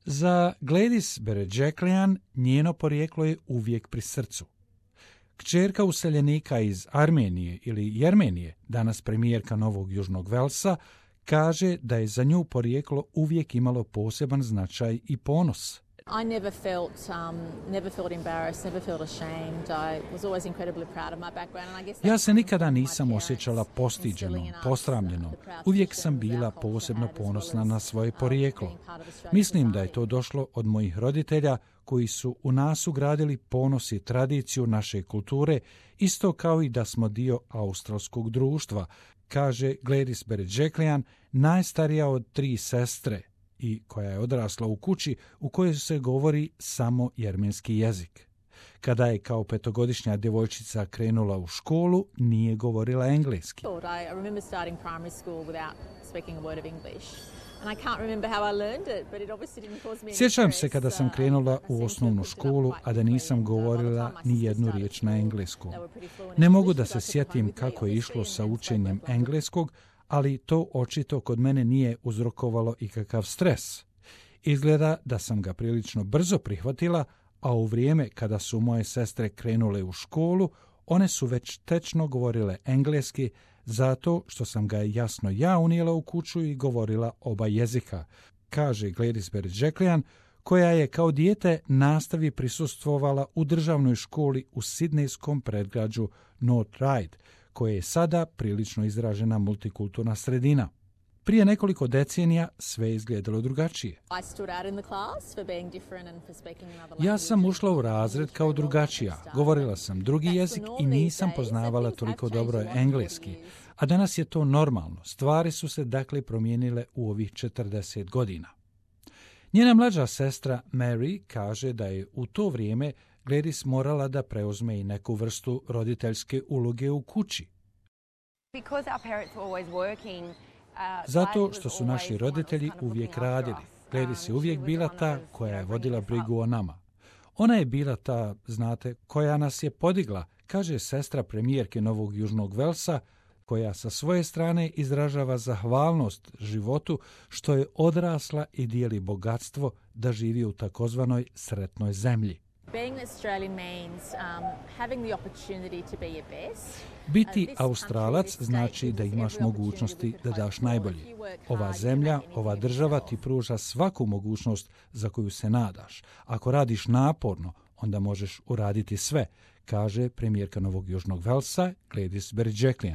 Za Gladys Berejiklian njeno porijeklo je uvijek pri srcu. Kćerka useljenika iz Armenije ili Jermenije, danas premijerka Novog Južnog Velsa, kaže da je za nju porijeklo uvijek imalo poseban značaj i ponos. I never felt embarrassed, never felt ashamed. I was always incredibly proud of my background and I guess Ja se nikada nisam osjećala postiđenom, posramljenom. Uvijek sam bila posebno ponosna na svoje porijeklo. Mislim da je to došlo od mojih roditelja koji su u nas ugradili ponos i tradiciju naše kulture, isto kao i da smo dio australskog društva, kaže Gladys Berejiklian, najstarija od 3 sestre i koja je odrasla u kući u kojoj se govori samo jermenski jezik. Kada je kao 5-godišnja djevojčica krenula u školu, nije govorila engleski. I remember starting primary school without speaking a word of English. And I can't remember how I learned it, but it obviously didn't cause me any Sjećam se stress. kada sam krenula u osnovnu školu, a da nisam govorila ni jednu riječ na engleskom. Ne mogu da se sjetim kako je išlo sa učenjem engleskog, ali to očito kod mene nije uzrokovalo ikakav stres. Izgleda da sam ga prilično brzo prihvatila, a u vrijeme kada su moje sestre krenule u školu, one su već tečno govorile engleski, zato što sam ga jasno ja unijela u kuću i govorila oba jezika, kaže Gladys Berejiklian, koja je kao dijete nastavi prisustvovala u državnoj školi u sidnejskom predgrađu North Ryde, koje je sada prilično izražena multikulturna sredina. Prije nekoliko decenija sve je izgledalo drugačije. Ja sam ušla u razred kao drugačija, govorila sam drugi jezik i nisam poznavala toliko dobro engleski, a danas je to normalno. Stvari su se dakle promijenile u ovih 40 godina. Njena mlađa sestra Mary kaže da je u to vrijeme Gladys morala da preuzme i neku vrstu roditeljske uloge u kući. Zato što su naši roditelji uvijek radili. Gladys je uvijek bila ta koja je vodila brigu o nama. Ona je bila ta, znate, koja nas je podigla, kaže sestra premijerke Novog Južnog Velsa, koja sa svoje strane izražava zahvalnost životu što je odrasla i dijeli bogatstvo da živi u takozvanoj sretnoj zemlji. Biti Australac znači da imaš mogućnosti da daš najbolje. Ova zemlja, ova država ti pruža svaku mogućnost za koju se nadaš. Ako radiš naporno, onda možeš uraditi sve, kaže premijerka Novog Južnog Velsa Gladys Berejiklian.